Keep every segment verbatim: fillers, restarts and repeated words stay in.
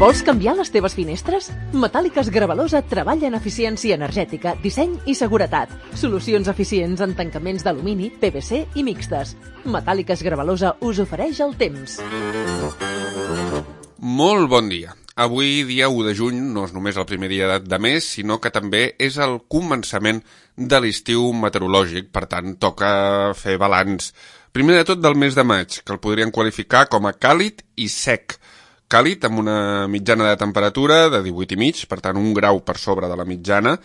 Vols canviar les teves finestres? Metàl·liques Gravalosa treballa en eficiència energètica, disseny i seguretat. Solucions eficients en tancaments d'alumini, P V C i mixtes. Metàl·liques Gravalosa us ofereix el temps. Molt bon dia. Avui, dia u de juny, no és només el primer dia de mes, sinó que també és el començament de l'estiu meteorològic. Per tant, toca fer balanç. Primer de tot del mes de maig, que el podrien qualificar com a càlid i sec. Càlid amb una mitjana de temperatura de divuit i mig, per tant un grau per sobre de la mitjana,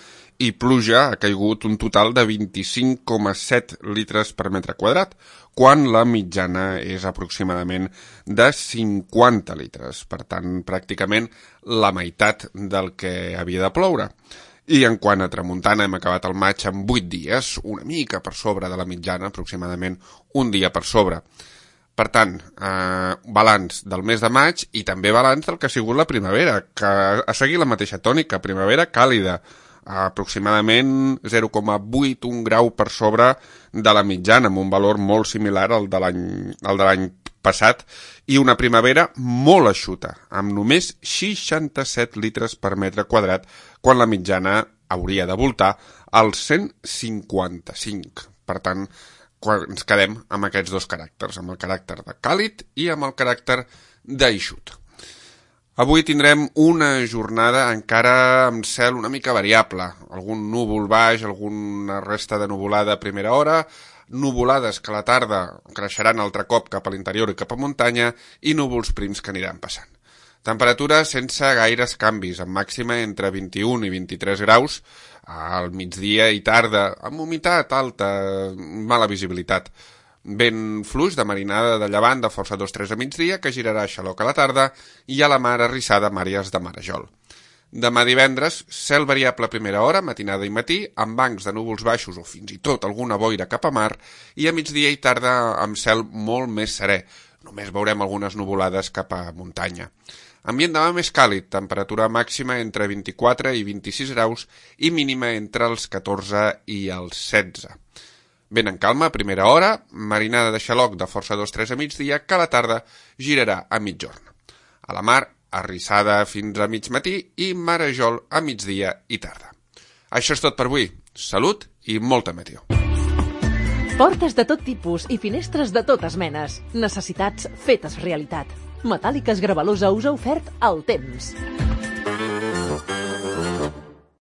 i pluja ha caigut un total de vint-i-cinc coma set litres per metre quadrat, quan la mitjana és aproximadament de cinquanta litres, per tant pràcticament la meitat del que havia de ploure. I en quant a tramuntana hem acabat el maig amb vuit dies, una mica per sobre de la mitjana, aproximadament un dia per sobre. Per tant, eh, balanç del mes de maig i també balanç del que ha sigut la primavera, que ha seguit la mateixa tònica, primavera càlida, aproximadament zero coma vuit, un grau per sobre de la mitjana, amb un valor molt similar al de l'any al de l'any passat, i una primavera molt eixuta, amb només seixanta-set litres per metre quadrat, quan la mitjana hauria de voltar als cent cinquanta-cinc. Per tant, quan ens quedem amb aquests dos caràcters, amb el caràcter de càlid i amb el caràcter d'eixut. Avui tindrem una jornada encara amb cel una mica variable, algun núvol baix, alguna resta de nuvolada a primera hora, nuvolades que a la tarda creixeran altre cop cap a l'interior i cap a muntanya i núvols prims que aniran passant. Temperatura sense gaires canvis, amb màxima entre vint-i-un i vint-i-tres graus, al migdia i tarda, amb humitat alta, mala visibilitat. Vent fluix de marinada de llevant de força dos tres a migdia, que girarà a xaloc a la tarda, i a la mar arrissada amb àrees de marejol. Demà divendres, cel variable a primera hora, matinada i matí, amb bancs de núvols baixos o fins i tot alguna boira cap a mar, i a migdia i tarda amb cel molt més serè. Només veurem algunes nuvolades cap a muntanya. Ambient demà més càlid, temperatura màxima entre vint-i-quatre i vint-i-sis graus i mínima entre els catorze i els setze. Vent en calma a primera hora, marinada de xaloc de força dos tres a migdia, que a la tarda girarà a mitjorn. A la mar, arrissada fins a mig matí i marejol a migdia i tarda. Això és tot per avui. Salut i molta meteo. Portes de tot tipus i finestres de totes menes. Necessitats fetes realitat. Metàl·liques Gravalosa us ha ofert el temps.